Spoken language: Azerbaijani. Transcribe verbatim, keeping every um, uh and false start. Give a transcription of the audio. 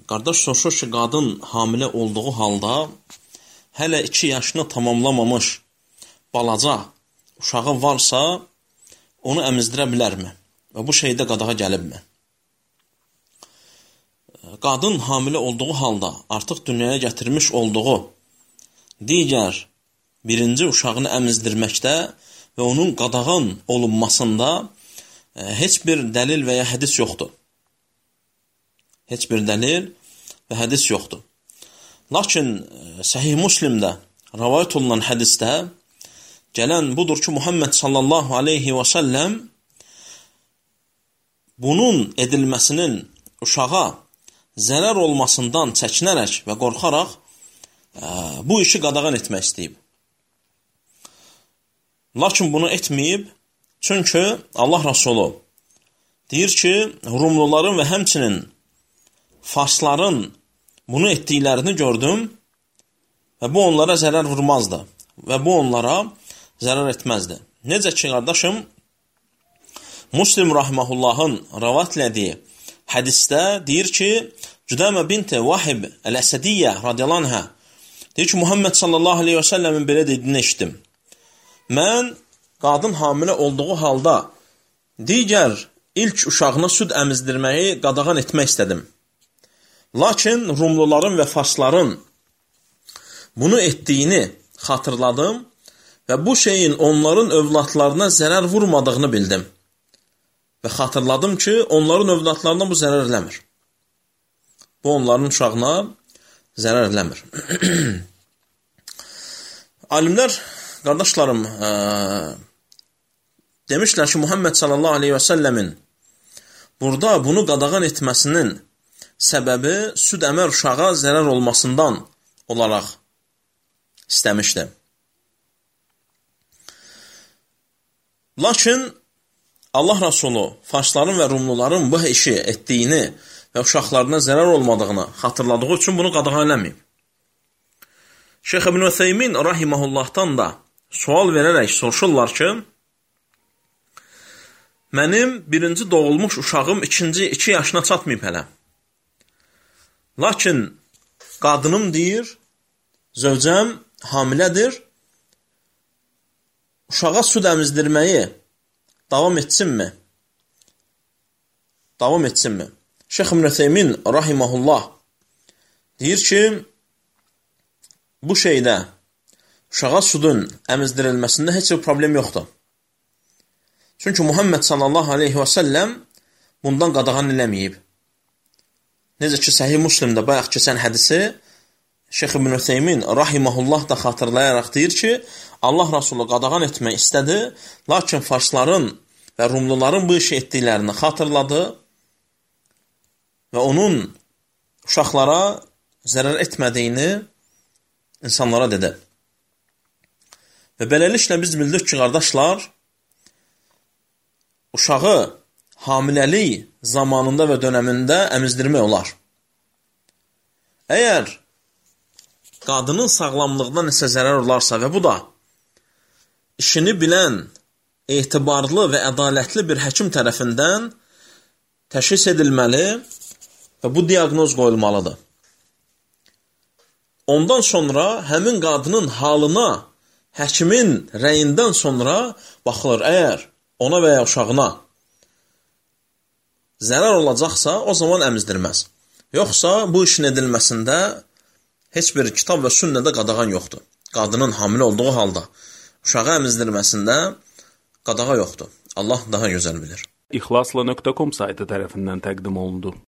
qardaş soruşur ki, qadın hamilə olduğu halda hələ iki yaşını tamamlamamış balaca uşağı varsa, onu əmizdirə bilərmi? Və bu şeydə qadağa gəlibmi? Qadın hamilə olduğu halda artıq dünyaya gətirmiş olduğu digər birinci uşağını əmizdirməkdə və onun qadağan olunmasında heç bir dəlil və ya hədis yoxdur. Heç bir dəlil və hədis yoxdur. Lakin Səhih Müslimdə rəvayət olunan hədisdə gələn budur ki, Muhammed sallallahu aleyhi və səlləm bunun edilməsinin uşağa zərər olmasından çəkinərək və qorxaraq bu işi qadağan etmək istəyib. Lakin bunu etməyib, çünki Allah Rəsulu deyir ki, Rumluların və həmçinin Farsların bunu etdiklərini gördüm və bu onlara zərər vurmazdı və bu onlara zərər etməzdi. Necə ki, qardaşım, Müslim rahiməhullahın rəvat elədiyi hədisdə deyir ki, Cüdəmə binti Vahib Əl-Əsədiyyə radiyallahu anhə deyir ki, Muhammed sallallahu aleyhi və səlləmin belə dediyini eşitdim. Mən qadın hamilə olduğu halda digər ilk uşağına süd əmizdirməyi qadağan etmək istədim. Lakin Rumluların və Farsların bunu etdiyini xatırladım və bu şeyin onların övladlarına zərər vurmadığını bildim. Və xatırladım ki, onların övladlarına bu zərər eləmir. Bu onların uşağına zərər eləmir. Alimlər, qardaşlarım, ə, demişlər ki, Muhammed sallallahu aleyhi və səlləmin burada bunu qadağan etməsinin səbəbi süd əmər uşağa zərər olmasından olaraq istəmişdi. Lakin Allah Rəsulu Farsların və Rumluların bu işi etdiyini və uşaqlarına zərər olmadığını xatırladığı üçün bunu qadağan eləməyib. Şeyx İbn Ütheymin rahiməhullahdan da sual verərək soruşurlar ki, mənim birinci doğulmuş uşağım ikinci iki yaşına çatmayıb hələ. Lakin qadınım deyir, zövcəm hamilədir, uşağa süd əmizdirməyi davam etsinmi? Davam etsinmi? Şeyx İbn Ütheymin rahiməhullah deyir ki, bu şeydə uşağa südün əmizdirilməsində heç bir problem yoxdur. Çünki Muhammed sallallahu aleyhi və səlləm bundan qadağan eləməyib. Necə ki, Səhih Müslimdə bayaq keçən hədisi Şeyx İbn Ütheymin rahiməhullah da xatırlayaraq deyir ki, Allah Rəsulu qadağan etmək istədi, lakin Farsların və Rumluların bu işi etdiklərini xatırladı və onun uşaqlara zərər etmədiyini insanlara dedi. Və beləliklə biz bildik ki, qardaşlar, uşağı hamiləlik zamanında və dönəmində əmizdirmək olar. Əgər qadının sağlamlığına nəsə zərər olarsa və bu da işini bilən, etibarlı və ədalətli bir həkim tərəfindən təşxis edilməli və bu diaqnoz qoyulmalıdır. Ondan sonra həmin qadının halına həkimin rəyindən sonra baxılır. Əgər ona və ya uşağına zərər olacaqsa, o zaman əmizdirməz. Yoxsa bu işin edilməsində heç bir kitab və sünnədə qadağan yoxdur. Qadının hamilə olduğu halda uşağı əmizdirməsində qadağa yoxdur. Allah daha gözəl bilir. İxlasla nöqtə com saytı tərəfindən təqdim olundu.